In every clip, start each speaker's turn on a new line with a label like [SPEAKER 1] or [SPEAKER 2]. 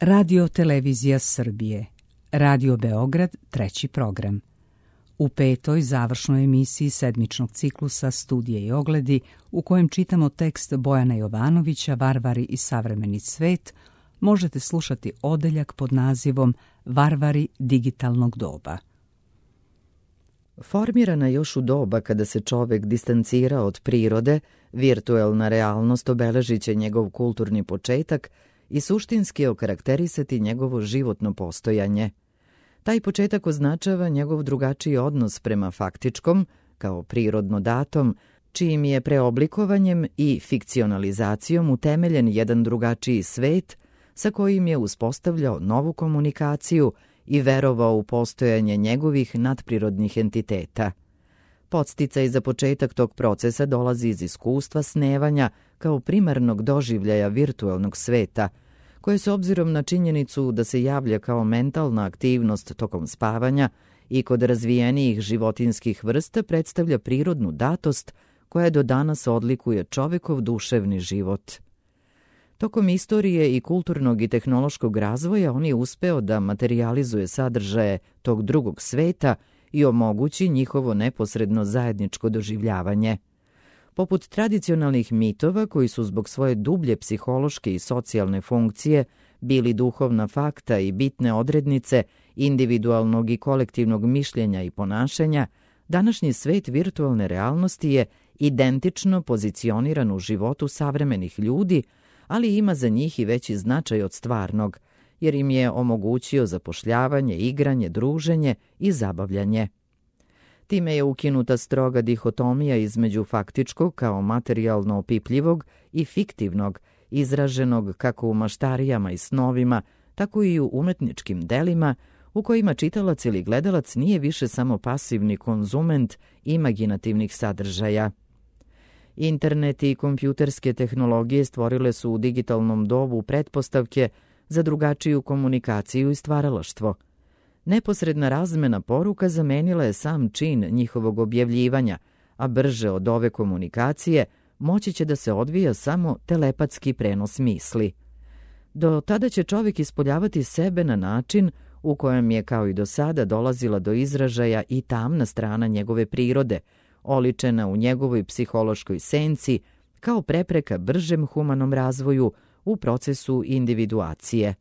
[SPEAKER 1] Radio Televizija Srbije, Radio Beograd, treći program. U petoj završnoj emisiji sedmičnog ciklusa Studije i ogledi, u kojem čitamo tekst Bojana Jovanovića Varvari i savremeni svet, možete slušati odeljak pod nazivom Varvari digitalnog doba.
[SPEAKER 2] Formirana još u doba kada se čovek distancirao od prirode, virtuelna realnost obeležit će njegov kulturni početak i suštinski okarakterisati njegovo životno postojanje. Taj početak označava njegov drugačiji odnos prema faktičkom, kao prirodno datom, čijim je preoblikovanjem i fikcionalizacijom utemeljen jedan drugačiji svet sa kojim je uspostavljao novu komunikaciju i verovao u postojanje njegovih nadprirodnih entiteta. Podsticaj za početak tog procesa dolazi iz iskustva snevanja kao primarnog doživljaja virtuelnog sveta, koje s obzirom na činjenicu da se javlja kao mentalna aktivnost tokom spavanja i kod razvijenijih životinjskih vrsta predstavlja prirodnu datost koja do danas odlikuje čovekov duševni život. Tokom istorije i kulturnog i tehnološkog razvoja on je uspeo da materijalizuje sadržaje tog drugog sveta i omogući njihovo neposredno zajedničko doživljavanje. Poput tradicionalnih mitova koji su zbog svoje dublje psihološke i socijalne funkcije bili duhovna fakta i bitne odrednice individualnog i kolektivnog mišljenja i ponašanja, današnji svet virtualne realnosti je identično pozicioniran u životu savremenih ljudi, ali ima za njih i veći značaj od stvarnog, jer im je omogućio zapošljavanje, igranje, druženje i zabavljanje. Time je ukinuta stroga dihotomija između faktičkog kao materijalno opipljivog i fiktivnog, izraženog kako u maštarijama i snovima, tako i u umetničkim delima, u kojima čitalac ili gledalac nije više samo pasivni konzument imaginativnih sadržaja. Internet i kompjuterske tehnologije stvorile su u digitalnom dobu pretpostavke za drugačiju komunikaciju i stvaralaštvo. Neposredna razmena poruka zamenila je sam čin njihovog objavljivanja, a brže od ove komunikacije moći će da se odvija samo telepatski prenos misli. Do tada će čovjek ispoljavati sebe na način u kojem je kao i do sada dolazila do izražaja i tamna strana njegove prirode, oličena u njegovoj psihološkoj senci kao prepreka bržem humanom razvoju u procesu individuacije.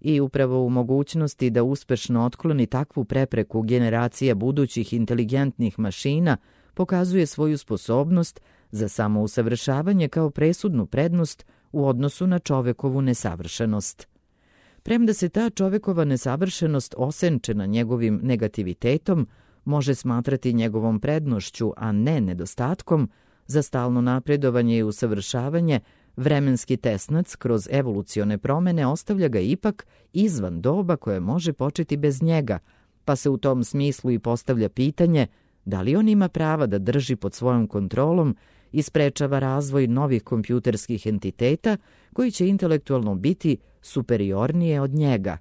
[SPEAKER 2] I upravo u mogućnosti da uspešno otkloni takvu prepreku generacija budućih inteligentnih mašina pokazuje svoju sposobnost za samousavršavanje kao presudnu prednost u odnosu na čovekovu nesavršenost. Premda se ta čovekova nesavršenost osenčena njegovim negativitetom može smatrati njegovom prednošću, a ne nedostatkom, za stalno napredovanje i usavršavanje, vremenski tesnac kroz evolucione promene ostavlja ga ipak izvan doba koje može početi bez njega, pa se u tom smislu i postavlja pitanje da li on ima prava da drži pod svojom kontrolom i sprečava razvoj novih kompjuterskih entiteta koji će intelektualno biti superiornije od njega.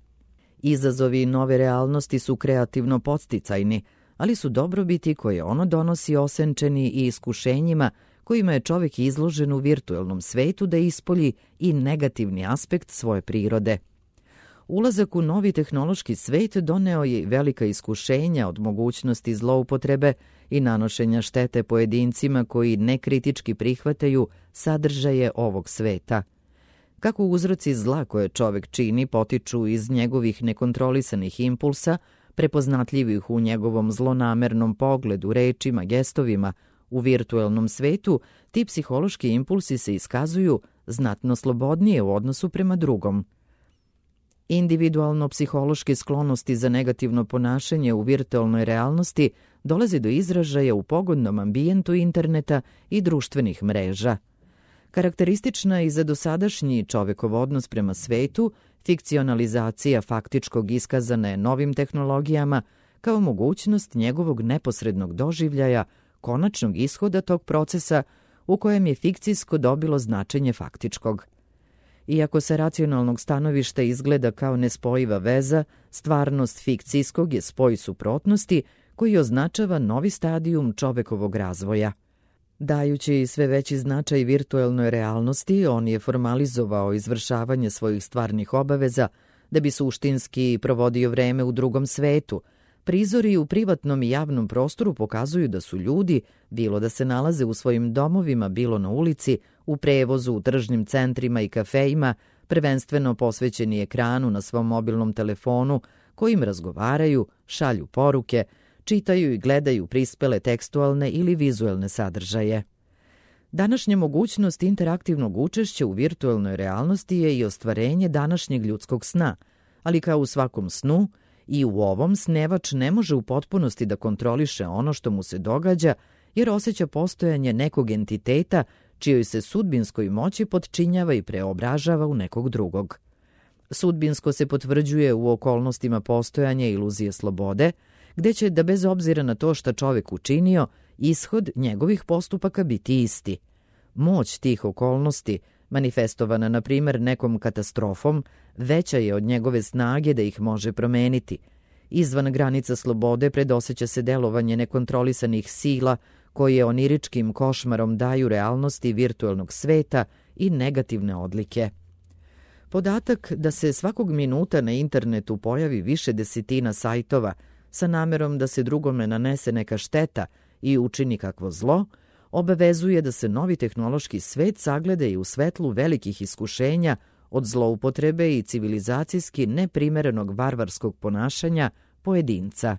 [SPEAKER 2] Izazovi nove realnosti su kreativno podsticajni, ali su dobrobiti koje ono donosi osenčeni i iskušenjima kojima je čovjek izložen u virtuelnom svetu da ispolji i negativni aspekt svoje prirode. Ulazak u novi tehnološki svet doneo je velika iskušenja od mogućnosti zloupotrebe i nanošenja štete pojedincima koji nekritički prihvataju sadržaje ovog sveta. Kako uzroci zla koje čovjek čini potiču iz njegovih nekontrolisanih impulsa, prepoznatljivih u njegovom zlonamernom pogledu, rečima, gestovima, u virtuelnom svetu, ti psihološki impulsi se iskazuju znatno slobodnije u odnosu prema drugom. Individualno-psihološke sklonosti za negativno ponašanje u virtualnoj realnosti dolazi do izražaja u pogodnom ambijentu interneta i društvenih mreža. Karakteristična i za dosadašnji čovekov odnos prema svetu, fikcionalizacija faktičkog iskazana je novim tehnologijama kao mogućnost njegovog neposrednog doživljaja, konačnog ishoda tog procesa u kojem je fikcijsko dobilo značenje faktičkog. Iako sa racionalnog stanovišta izgleda kao nespojiva veza, stvarnost fikcijskog je spoj suprotnosti koji označava novi stadijum čovekovog razvoja. Dajući sve veći značaj virtuelnoj realnosti, on je formalizovao izvršavanje svojih stvarnih obaveza da bi suštinski provodio vreme u drugom svetu. Prizori u privatnom i javnom prostoru pokazuju da su ljudi, bilo da se nalaze u svojim domovima, bilo na ulici, u prevozu, u tržnim centrima i kafejima, prvenstveno posvećeni ekranu na svom mobilnom telefonu, kojim razgovaraju, šalju poruke, čitaju i gledaju prispele tekstualne ili vizuelne sadržaje. Današnja mogućnost interaktivnog učešća u virtuelnoj realnosti je i ostvarenje današnjeg ljudskog sna, ali kao u svakom snu, i u ovom snevač ne može u potpunosti da kontroliše ono što mu se događa, jer osjeća postojanje nekog entiteta čijoj se sudbinskoj moći potčinjava i preobražava u nekog drugog. Sudbinsko se potvrđuje u okolnostima postojanja iluzije slobode, gde će, da bez obzira na to šta čovek učinio, ishod njegovih postupaka biti isti. Moć tih okolnosti, manifestovana na primer nekom katastrofom, veća je od njegove snage da ih može promeniti. Izvan granica slobode predoseća se delovanje nekontrolisanih sila koje oniričkim košmarom daju realnosti virtuelnog sveta i negativne odlike. Podatak da se svakog minuta na internetu pojavi više desetina sajtova sa namerom da se drugome nanese neka šteta i učini kakvo zlo, obavezuje da se novi tehnološki svet sagleda i u svetlu velikih iskušenja od zloupotrebe i civilizacijski neprimerenog varvarskog ponašanja pojedinca.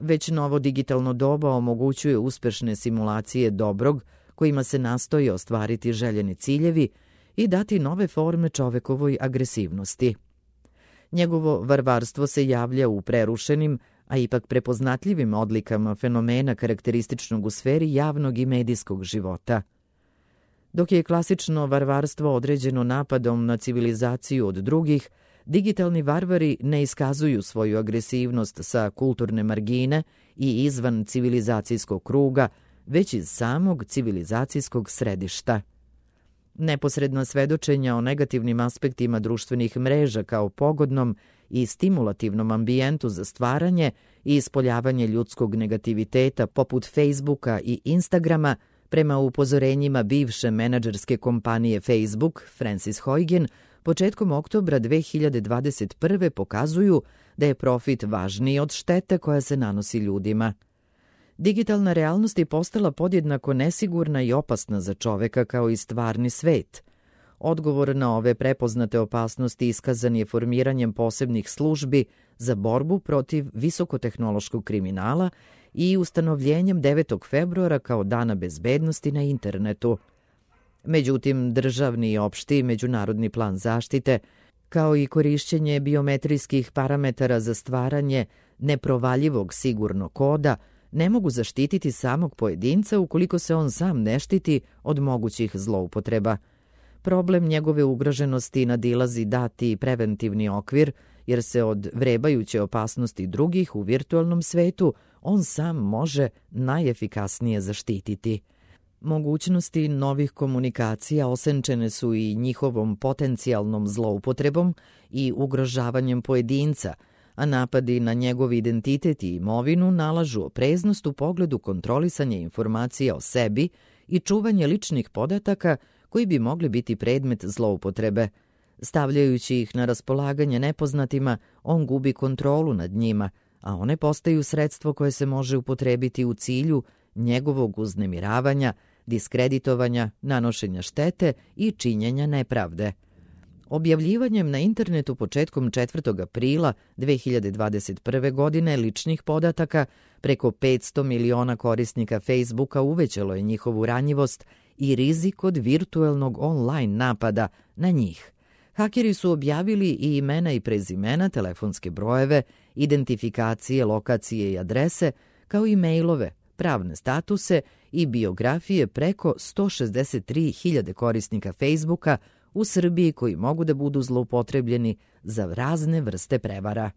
[SPEAKER 2] Već novo digitalno doba omogućuje uspešne simulacije dobrog kojima se nastoji ostvariti željeni ciljevi i dati nove forme čovekovoj agresivnosti. Njegovo varvarstvo se javlja u prerušenim, a ipak prepoznatljivim odlikama fenomena karakterističnog u sferi javnog i medijskog života. Dok je klasično varvarstvo određeno napadom na civilizaciju od drugih, digitalni varvari ne iskazuju svoju agresivnost sa kulturne margine i izvan civilizacijskog kruga, već iz samog civilizacijskog središta. Neposredna svedočenja o negativnim aspektima društvenih mreža kao pogodnom i stimulativnom ambijentu za stvaranje i ispoljavanje ljudskog negativiteta poput Facebooka i Instagrama, prema upozorenjima bivše menadžerske kompanije Facebook, Frances Haugen, početkom oktobra 2021. pokazuju da je profit važniji od štete koja se nanosi ljudima. Digitalna realnost je postala podjednako nesigurna i opasna za čoveka kao i stvarni svet. Odgovor na ove prepoznate opasnosti iskazan je formiranjem posebnih službi za borbu protiv visokotehnološkog kriminala i ustanovljenjem 9. februara kao Dana bezbednosti na internetu. Međutim, državni i opšti međunarodni plan zaštite, kao i korišćenje biometrijskih parametara za stvaranje neprovaljivog sigurnog koda, ne mogu zaštititi samog pojedinca ukoliko se on sam ne štiti od mogućih zloupotreba. Problem njegove ugroženosti nadilazi dati preventivni okvir, jer se od vrebajuće opasnosti drugih u virtualnom svetu on sam može najefikasnije zaštititi. Mogućnosti novih komunikacija osenčene su i njihovom potencijalnom zloupotrebom i ugrožavanjem pojedinca, a napadi na njegov identitet i imovinu nalažu opreznost u pogledu kontrolisanja informacija o sebi i čuvanje ličnih podataka koji bi mogli biti predmet zloupotrebe. Stavljajući ih na raspolaganje nepoznatima, on gubi kontrolu nad njima, a one postaju sredstvo koje se može upotrebiti u cilju njegovog uznemiravanja, diskreditovanja, nanošenja štete i činjenja nepravde. Objavljivanjem na internetu početkom 4. aprila 2021. godine ličnih podataka preko 500 miliona korisnika Facebooka uvećalo je njihovu ranjivost i rizik od virtuelnog online napada na njih. Hakeri su objavili i imena i prezimena, telefonske brojeve, identifikacije, lokacije i adrese, kao i mailove, pravne statuse i biografije preko 163.000 korisnika Facebooka u Srbiji koji mogu da budu zloupotrebljeni za razne vrste prevara.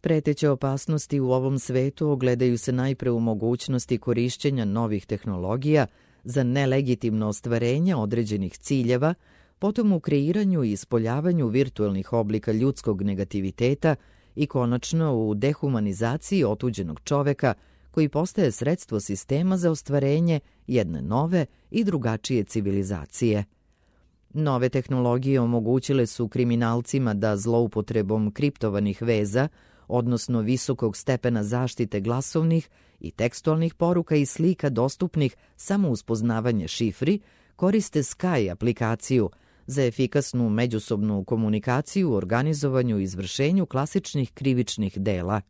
[SPEAKER 2] Preteće opasnosti u ovom svetu ogledaju se najpre u mogućnosti korišćenja novih tehnologija za nelegitimno ostvarenje određenih ciljeva, potom u kreiranju i ispoljavanju virtuelnih oblika ljudskog negativiteta i konačno u dehumanizaciji otuđenog čoveka koji postaje sredstvo sistema za ostvarenje jedne nove i drugačije civilizacije. Nove tehnologije omogućile su kriminalcima da zloupotrebom kriptovanih veza, odnosno visokog stepena zaštite glasovnih i tekstualnih poruka i slika dostupnih samo uz poznavanje šifri, koriste Sky aplikaciju za efikasnu međusobnu komunikaciju u organizovanju i izvršenju klasičnih krivičnih dela.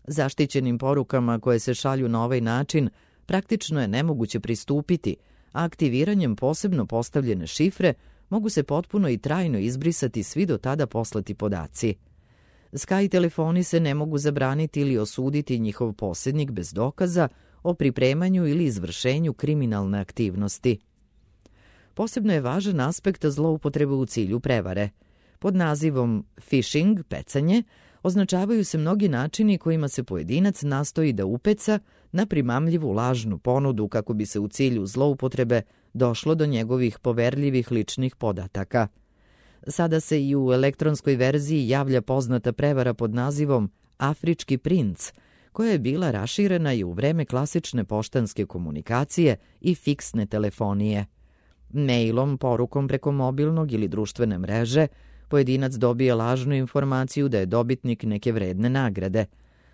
[SPEAKER 2] Zaštićenim porukama koje se šalju na ovaj način praktično je nemoguće pristupiti, a aktiviranjem posebno postavljene šifre mogu se potpuno i trajno izbrisati svi do tada poslati podaci. Sky telefoni se ne mogu zabraniti ili osuditi njihov posjednik bez dokaza o pripremanju ili izvršenju kriminalne aktivnosti. Posebno je važan aspekt zloupotrebe u cilju prevare. Pod nazivom phishing, pecanje, označavaju se mnogi načini kojima se pojedinac nastoji da upeca na primamljivu lažnu ponudu kako bi se u cilju zloupotrebe došlo do njegovih poverljivih ličnih podataka. Sada se i u elektronskoj verziji javlja poznata prevara pod nazivom Afrički princ, koja je bila raširena i u vreme klasične poštanske komunikacije i fiksne telefonije. Mailom, porukom preko mobilnog ili društvene mreže, pojedinac dobije lažnu informaciju da je dobitnik neke vredne nagrade.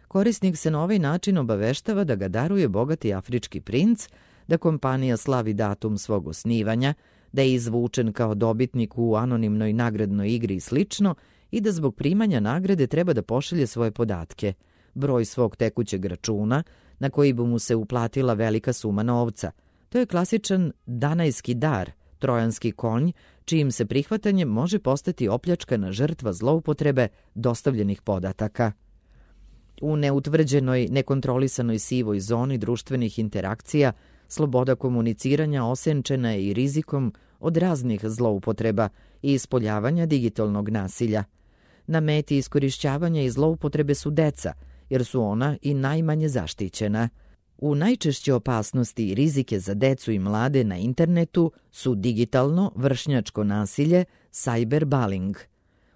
[SPEAKER 2] Korisnik se na ovaj način obaveštava da ga daruje bogati afrički princ, da kompanija slavi datum svog osnivanja, da je izvučen kao dobitnik u anonimnoj nagradnoj igri i slično i da zbog primanja nagrade treba da pošalje svoje podatke, broj svog tekućeg računa na koji bi mu se uplatila velika suma novca. To je klasičan danajski dar, trojanski konj, čijim se prihvatanjem može postati opljačkana žrtva zloupotrebe dostavljenih podataka. U neutvrđenoj, nekontrolisanoj sivoj zoni društvenih interakcija sloboda komuniciranja osenčena je i rizikom od raznih zloupotreba i ispoljavanja digitalnog nasilja. Na meti iskorišćavanja i zloupotrebe su deca, jer su ona i najmanje zaštićena. U najčešće opasnosti i rizike za decu i mlade na internetu su digitalno vršnjačko nasilje, cyberbullying.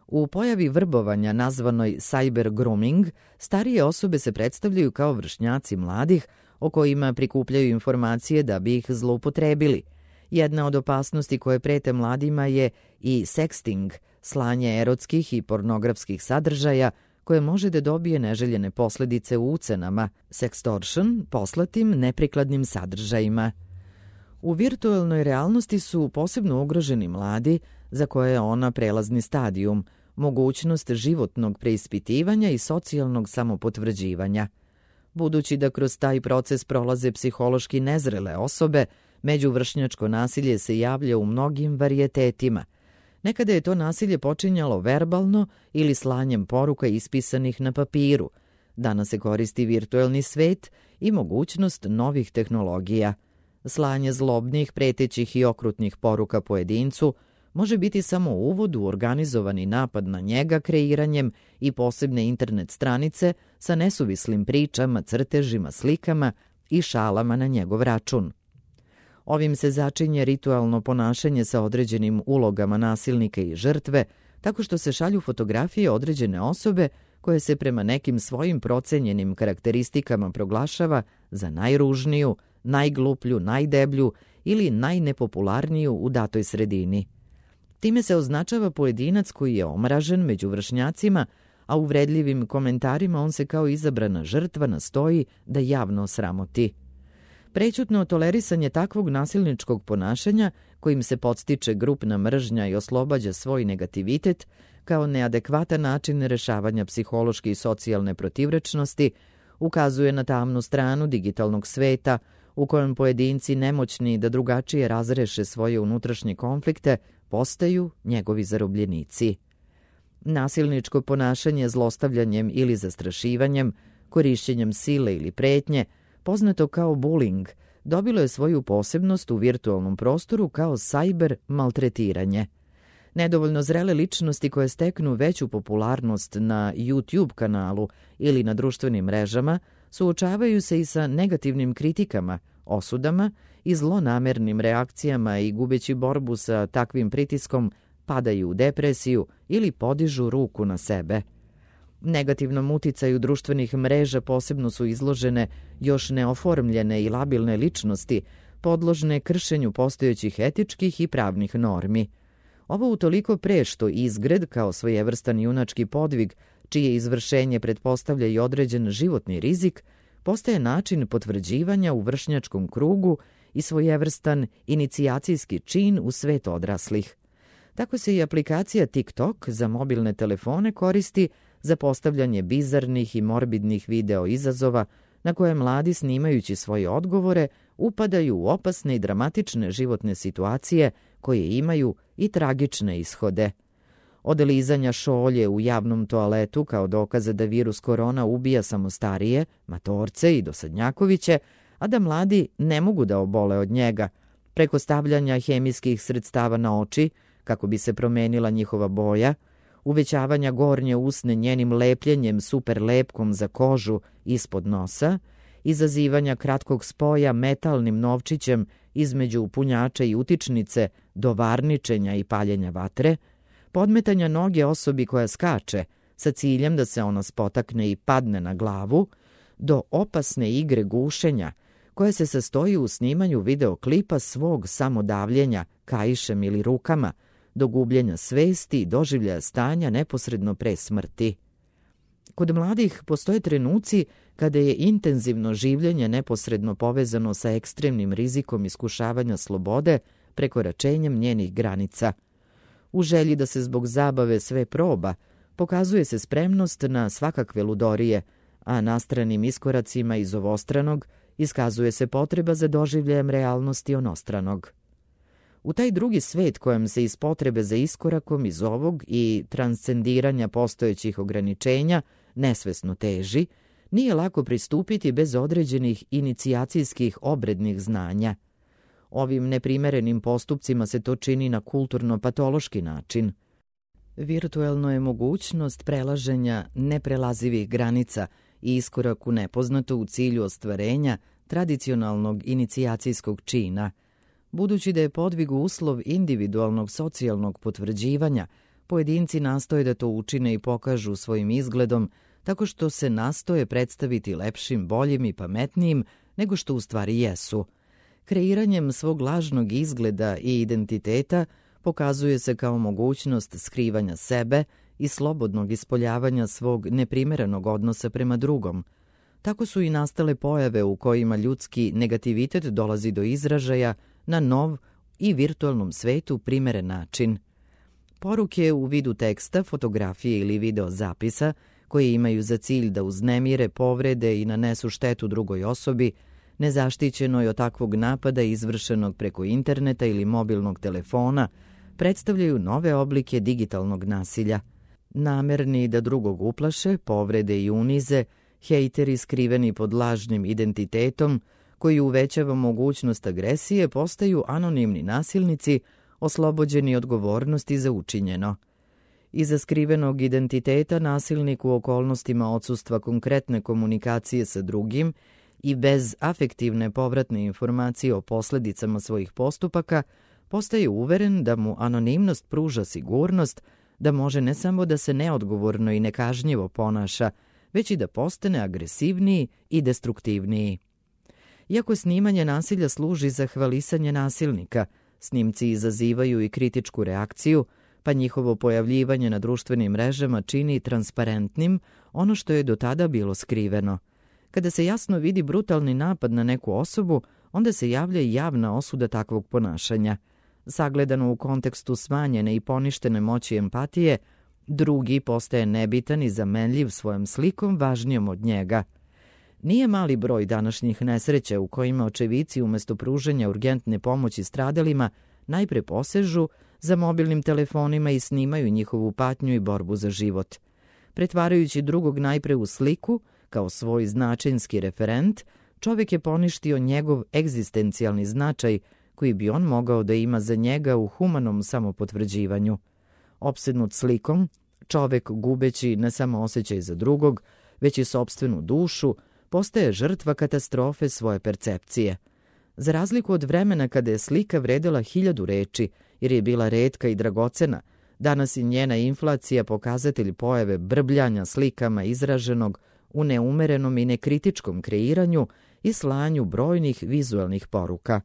[SPEAKER 2] U pojavi vrbovanja nazvanoj cyber grooming, starije osobe se predstavljaju kao vršnjaci mladih o kojima prikupljaju informacije da bi ih zloupotrebili. Jedna od opasnosti koje prete mladima je i sexting, slanje erotskih i pornografskih sadržaja koje može da dobije neželjene posljedice u ucenama, sextortion, poslatim neprikladnim sadržajima. U virtualnoj realnosti su posebno ugroženi mladi, za koje je ona prelazni stadijum, mogućnost životnog preispitivanja i socijalnog samopotvrđivanja. Budući da kroz taj proces prolaze psihološki nezrele osobe, međuvršnjačko nasilje se javlja u mnogim varijetetima. Nekada je to nasilje počinjalo verbalno ili slanjem poruka ispisanih na papiru. Danas se koristi virtuelni svet i mogućnost novih tehnologija. Slanje zlobnih, pretećih i okrutnih poruka pojedincu može biti samo uvod u organizovani napad na njega kreiranjem i posebne internet stranice sa nesuvislim pričama, crtežima, slikama i šalama na njegov račun. Ovim se začinje ritualno ponašanje sa određenim ulogama nasilnika i žrtve, tako što se šalju fotografije određene osobe koje se prema nekim svojim procenjenim karakteristikama proglašava za najružniju, najgluplju, najdeblju ili najnepopularniju u datoj sredini. Time se označava pojedinac koji je omražen među vršnjacima, a u uvredljivim komentarima on se kao izabrana žrtva nastoji da javno osramoti. Prećutno tolerisanje takvog nasilničkog ponašanja, kojim se podstiče grupna mržnja i oslobađa svoj negativitet, kao neadekvatan način rešavanja psihološke i socijalne protivrečnosti, ukazuje na tamnu stranu digitalnog sveta, u kojem pojedinci nemoćni da drugačije razreše svoje unutrašnje konflikte, postaju njegovi zarobljenici. Nasilničko ponašanje zlostavljanjem ili zastrašivanjem, korišćenjem sile ili pretnje, poznato kao bullying, dobilo je svoju posebnost u virtualnom prostoru kao cyber maltretiranje. Nedovoljno zrele ličnosti koje steknu veću popularnost na YouTube kanalu ili na društvenim mrežama suočavaju se i sa negativnim kritikama, osudama i zlonamernim reakcijama i gubeći borbu sa takvim pritiskom padaju u depresiju ili podižu ruku na sebe. Negativnom uticaju društvenih mreža posebno su izložene još neoformljene i labilne ličnosti, podložne kršenju postojećih etičkih i pravnih normi. Ovo utoliko pre što izgred, kao svojevrstan junački podvig, čije izvršenje pretpostavlja i određen životni rizik, postaje način potvrđivanja u vršnjačkom krugu i svojevrstan inicijacijski čin u svet odraslih. Tako se i aplikacija TikTok za mobilne telefone koristi za postavljanje bizarnih i morbidnih video izazova na koje mladi, snimajući svoje odgovore, upadaju u opasne i dramatične životne situacije koje imaju i tragične ishode. Od lizanja šolje u javnom toaletu kao dokaza da virus korona ubija samo starije, matorce i dosadnjakoviće, a da mladi ne mogu da obole od njega, preko stavljanja hemijskih sredstava na oči kako bi se promenila njihova boja, uvećavanja gornje usne njenim lepljenjem super lepkom za kožu ispod nosa, izazivanja kratkog spoja metalnim novčićem između punjača i utičnice do varničenja i paljenja vatre, podmetanja noge osobi koja skače sa ciljem da se ona spotakne i padne na glavu, do opasne igre gušenja koja se sastoji u snimanju videoklipa svog samodavljenja kaišem ili rukama, do gubljenja svesti i doživljaja stanja neposredno pre smrti. Kod mladih postoje trenuci kada je intenzivno življenje neposredno povezano sa ekstremnim rizikom iskušavanja slobode prekoračenjem njenih granica. U želji da se zbog zabave sve proba, pokazuje se spremnost na svakakve ludorije, a nastranim iskoracima iz ovostranog iskazuje se potreba za doživljajem realnosti onostranog. U taj drugi svet kojem se iz potrebe za iskorakom iz ovog i transcendiranja postojećih ograničenja nesvesno teži, nije lako pristupiti bez određenih inicijacijskih obrednih znanja. Ovim neprimerenim postupcima se to čini na kulturno-patološki način. Virtuelno je mogućnost prelaženja neprelazivih granica i iskorak u nepoznato u cilju ostvarenja tradicionalnog inicijacijskog čina. Budući da je podvig uslov individualnog socijalnog potvrđivanja, pojedinci nastoje da to učine i pokažu svojim izgledom, tako što se nastoje predstaviti lepšim, boljim i pametnijim nego što u stvari jesu. Kreiranjem svog lažnog izgleda i identiteta pokazuje se kao mogućnost skrivanja sebe i slobodnog ispoljavanja svog neprimerenog odnosa prema drugom. Tako su i nastale pojave u kojima ljudski negativitet dolazi do izražaja na nov i virtualnom svetu primeren način. Poruke u vidu teksta, fotografije ili video zapisa, koje imaju za cilj da uznemire, povrede i nanesu štetu drugoj osobi, nezaštićenoj od takvog napada izvršenog preko interneta ili mobilnog telefona, predstavljaju nove oblike digitalnog nasilja. Namerni da drugog uplaše, povrede i unize, hejteri skriveni pod lažnim identitetom, koji uvećava mogućnost agresije, postaju anonimni nasilnici, oslobođeni odgovornosti za učinjeno. Iza skrivenog identiteta nasilnik u okolnostima odsustva konkretne komunikacije sa drugim i bez afektivne povratne informacije o posledicama svojih postupaka, postaje uveren da mu anonimnost pruža sigurnost, da može ne samo da se neodgovorno i nekažnjivo ponaša, već i da postane agresivniji i destruktivniji. Iako snimanje nasilja služi za hvalisanje nasilnika, snimci izazivaju i kritičku reakciju, pa njihovo pojavljivanje na društvenim mrežama čini transparentnim ono što je do tada bilo skriveno. Kada se jasno vidi brutalni napad na neku osobu, onda se javlja i javna osuda takvog ponašanja. Sagledano u kontekstu smanjene i poništene moći empatije, drugi postaje nebitan i zamenljiv svojom slikom važnijom od njega. Nije mali broj današnjih nesreća u kojima očevici umesto pružanja urgentne pomoći stradalima najpre posežu za mobilnim telefonima i snimaju njihovu patnju i borbu za život. Pretvarajući drugog najpre u sliku, kao svoj značajnski referent, čovjek je poništio njegov egzistencijalni značaj koji bi on mogao da ima za njega u humanom samopotvrđivanju. Opsednut slikom, čovjek gubeći ne samo osjećaj za drugog, već i sopstvenu dušu, postaje žrtva katastrofe svoje percepcije. Za razliku od vremena kada je slika vredela 1000 reči, jer je bila retka i dragocena, Danas je njena inflacija pokazatelj pojave brbljanja slikama izraženog u neumerenom i nekritičkom kreiranju i slanju brojnih vizuelnih poruka.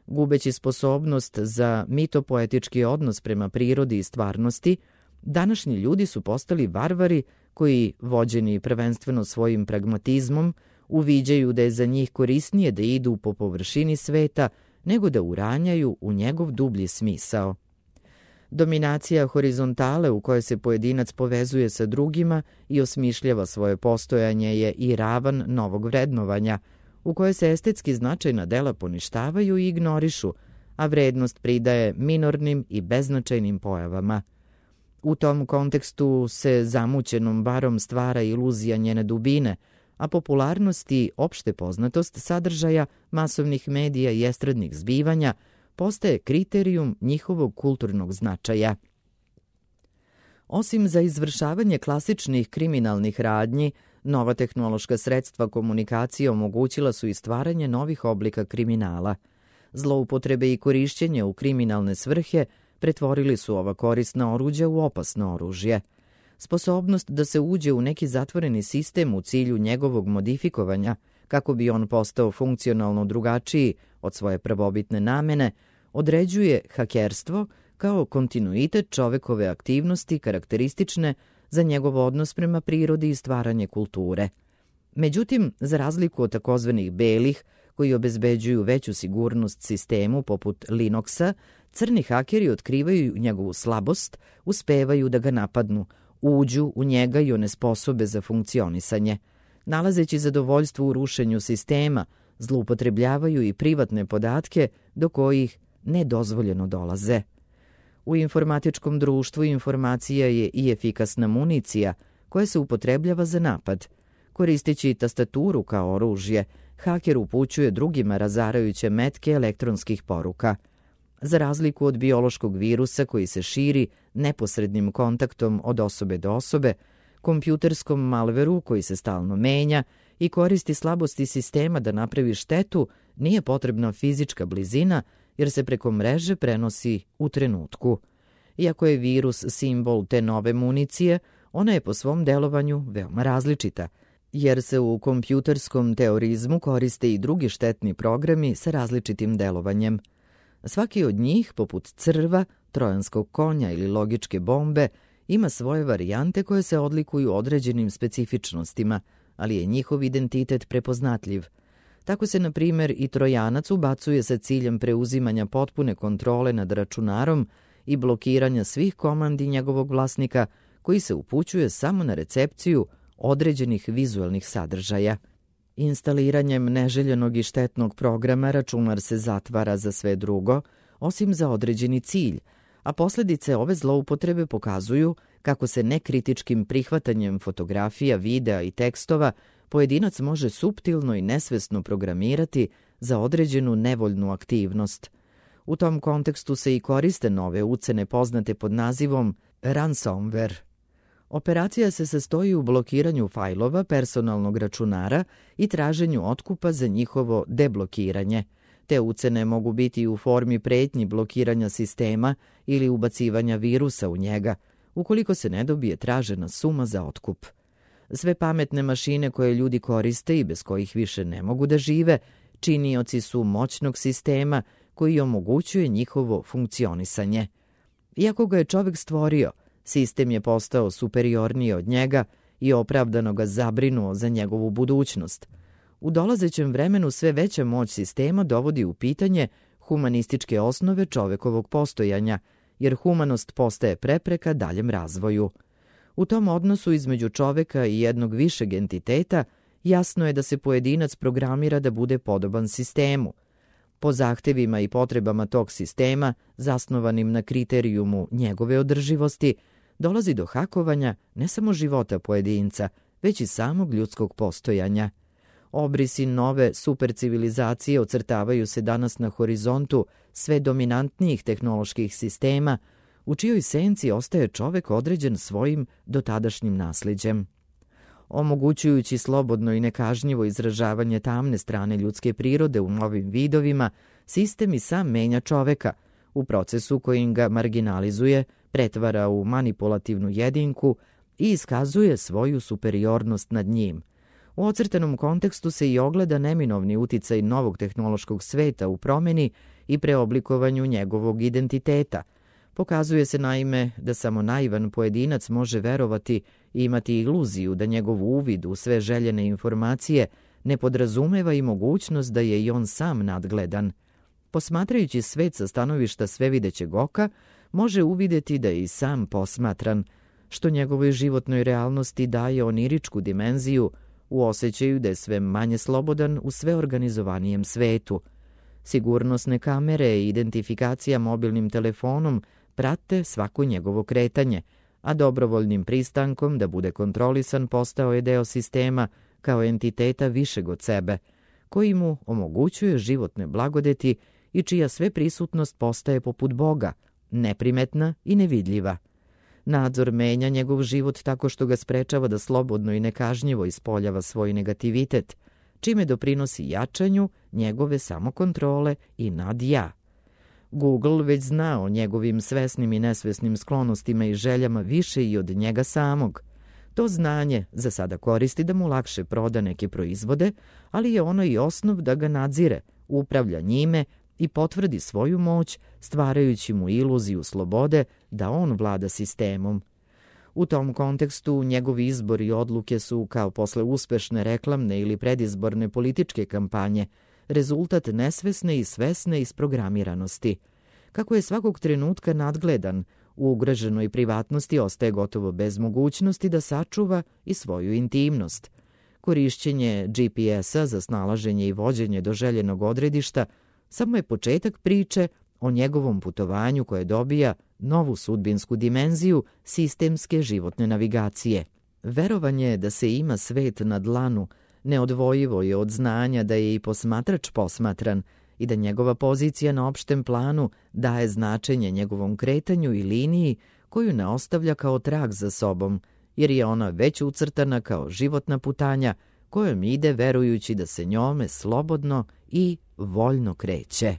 [SPEAKER 2] Gubeći sposobnost za mitopoetički odnos prema prirodi i stvarnosti, današnji ljudi su postali varvari koji, vođeni prvenstveno svojim pragmatizmom, uviđaju da je za njih korisnije da idu po površini sveta nego da uranjaju u njegov dublji smisao. Dominacija horizontale u kojoj se pojedinac povezuje sa drugima i osmišljava svoje postojanje je i ravan novog vrednovanja, u kojoj se estetski značajna dela poništavaju i ignorišu, a vrednost pridaje minornim i beznačajnim pojavama. U tom kontekstu se zamućenom barom stvara iluzija njene dubine, a popularnost i opšte poznatost sadržaja masovnih medija i estradnih zbivanja postaje kriterijum njihovog kulturnog značaja. Osim za izvršavanje klasičnih kriminalnih radnji, nova tehnološka sredstva komunikacije omogućila su i stvaranje novih oblika kriminala. Zloupotrebe i korišćenje u kriminalne svrhe pretvorili su ova korisna oruđa u opasno oružje. Sposobnost da se uđe u neki zatvoreni sistem u cilju njegovog modifikovanja, kako bi on postao funkcionalno drugačiji od svoje prvobitne namene, određuje hakerstvo kao kontinuitet čovekove aktivnosti karakteristične za njegov odnos prema prirodi i stvaranje kulture. Međutim, za razliku od takozvanih belih, koji obezbeđuju veću sigurnost sistemu poput Linuxa, crni hakeri otkrivaju njegovu slabost, uspevaju da ga napadnu, uđu u njega i onesposobe za funkcionisanje. Nalazeći zadovoljstvo u rušenju sistema, zloupotrebljavaju i privatne podatke do kojih nedozvoljeno dolaze. U informatičkom društvu informacija je i efikasna municija koja se upotrebljava za napad. Koristeći tastaturu kao oružje, haker upućuje drugima razarajuće metke elektronskih poruka. Za razliku od biološkog virusa koji se širi neposrednim kontaktom od osobe do osobe, kompjuterskom malveru koji se stalno menja i koristi slabosti sistema da napravi štetu, nije potrebna fizička blizina jer se preko mreže prenosi u trenutku. Iako je virus simbol te nove municije, ona je po svom delovanju veoma različita, jer se u kompjuterskom teorizmu koriste i drugi štetni programi sa različitim delovanjem. Svaki od njih, poput crva, trojanskog konja ili logičke bombe, ima svoje varijante koje se odlikuju određenim specifičnostima, ali je njihov identitet prepoznatljiv. Tako se, na primjer, i trojanac ubacuje sa ciljem preuzimanja potpune kontrole nad računarom i blokiranja svih komandi njegovog vlasnika, koji se upućuje samo na recepciju određenih vizuelnih sadržaja. Instaliranjem neželjenog i štetnog programa računar se zatvara za sve drugo, osim za određeni cilj, a posljedice ove zloupotrebe pokazuju kako se nekritičkim prihvatanjem fotografija, videa i tekstova pojedinac može suptilno i nesvesno programirati za određenu nevoljnu aktivnost. U tom kontekstu se i koriste nove ucene poznate pod nazivom ransomware. Operacija se sastoji u blokiranju fajlova personalnog računara i traženju otkupa za njihovo deblokiranje. Te ucene mogu biti u formi pretnji blokiranja sistema ili ubacivanja virusa u njega, ukoliko se ne dobije tražena suma za otkup. Sve pametne mašine koje ljudi koriste i bez kojih više ne mogu da žive, činioci su moćnog sistema koji omogućuje njihovo funkcionisanje. Iako ga je čovek stvorio, sistem je postao superiorniji od njega i opravdano ga zabrinuo za njegovu budućnost. U dolazećem vremenu sve veća moć sistema dovodi u pitanje humanističke osnove čovekovog postojanja, jer humanost postaje prepreka daljem razvoju. U tom odnosu između čoveka i jednog višeg entiteta jasno je da se pojedinac programira da bude podoban sistemu. Po zahtevima i potrebama tog sistema, zasnovanim na kriterijumu njegove održivosti, dolazi do hakovanja ne samo života pojedinca, već i samog ljudskog postojanja. Obrisi nove supercivilizacije ocrtavaju se danas na horizontu sve dominantnijih tehnoloških sistema, u čijoj senci ostaje čovek određen svojim dotadašnjim nasliđem. Omogućujući slobodno i nekažnjivo izražavanje tamne strane ljudske prirode u novim vidovima, sistem i sam menja čoveka, u procesu kojim ga marginalizuje, pretvara u manipulativnu jedinku i iskazuje svoju superiornost nad njim. U ocrtanom kontekstu se i ogleda neminovni uticaj novog tehnološkog sveta u promeni i preoblikovanju njegovog identiteta. Pokazuje se naime da samo naivan pojedinac može verovati i imati iluziju da njegov uvid u sve željene informacije ne podrazumeva i mogućnost da je i on sam nadgledan. Posmatrajući svet sa stanovišta svevidećeg oka, može uvideti da je i sam posmatran, što njegovoj životnoj realnosti daje oniričku dimenziju u osjećaju da je sve manje slobodan u sve organizovanijem svetu. Sigurnosne kamere i identifikacija mobilnim telefonom prate svako njegovo kretanje, a dobrovoljnim pristankom da bude kontrolisan postao je deo sistema kao entiteta višeg od sebe, koji mu omogućuje životne blagodeti i čija sve prisutnost postaje poput Boga, neprimetna i nevidljiva. Nadzor menja njegov život tako što ga sprečava da slobodno i nekažnjivo ispoljava svoj negativitet, čime doprinosi jačanju njegove samokontrole i nad-ja. Google već zna o njegovim svesnim i nesvesnim sklonostima i željama više i od njega samog. To znanje za sada koristi da mu lakše proda neke proizvode, ali je ono i osnov da ga nadzire, upravlja njime i potvrdi svoju moć, stvarajući mu iluziju slobode da on vlada sistemom. U tom kontekstu njegovi izbori i odluke su, kao posle uspešne reklamne ili predizborne političke kampanje, rezultat nesvesne i svesne isprogramiranosti. Kako je svakog trenutka nadgledan, u ugroženoj privatnosti ostaje gotovo bez mogućnosti da sačuva i svoju intimnost. Korišćenje GPS-a za snalaženje i vođenje do željenog odredišta samo je početak priče o njegovom putovanju koje dobija novu sudbinsku dimenziju sistemske životne navigacije. Verovanje da se ima svet na dlanu neodvojivo je od znanja da je i posmatrač posmatran i da njegova pozicija na opštem planu daje značenje njegovom kretanju i liniji koju ne ostavlja kao trag za sobom, jer je ona već ucrtana kao životna putanja kojom ide verujući da se njome slobodno i voljno kreće.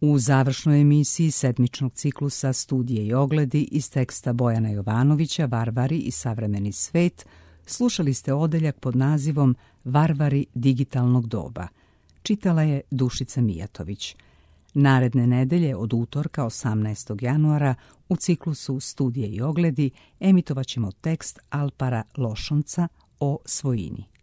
[SPEAKER 1] U završnoj emisiji sedmičnog ciklusa Studije i ogledi iz teksta Bojana Jovanovića Varvari i savremeni svet slušali ste odeljak pod nazivom Varvari digitalnog doba. Čitala je Dušica Mijatović. Naredne nedelje od utorka 18. januara u ciklusu Studije i ogledi emitovat ćemo tekst Alpara Lošonca o svojini.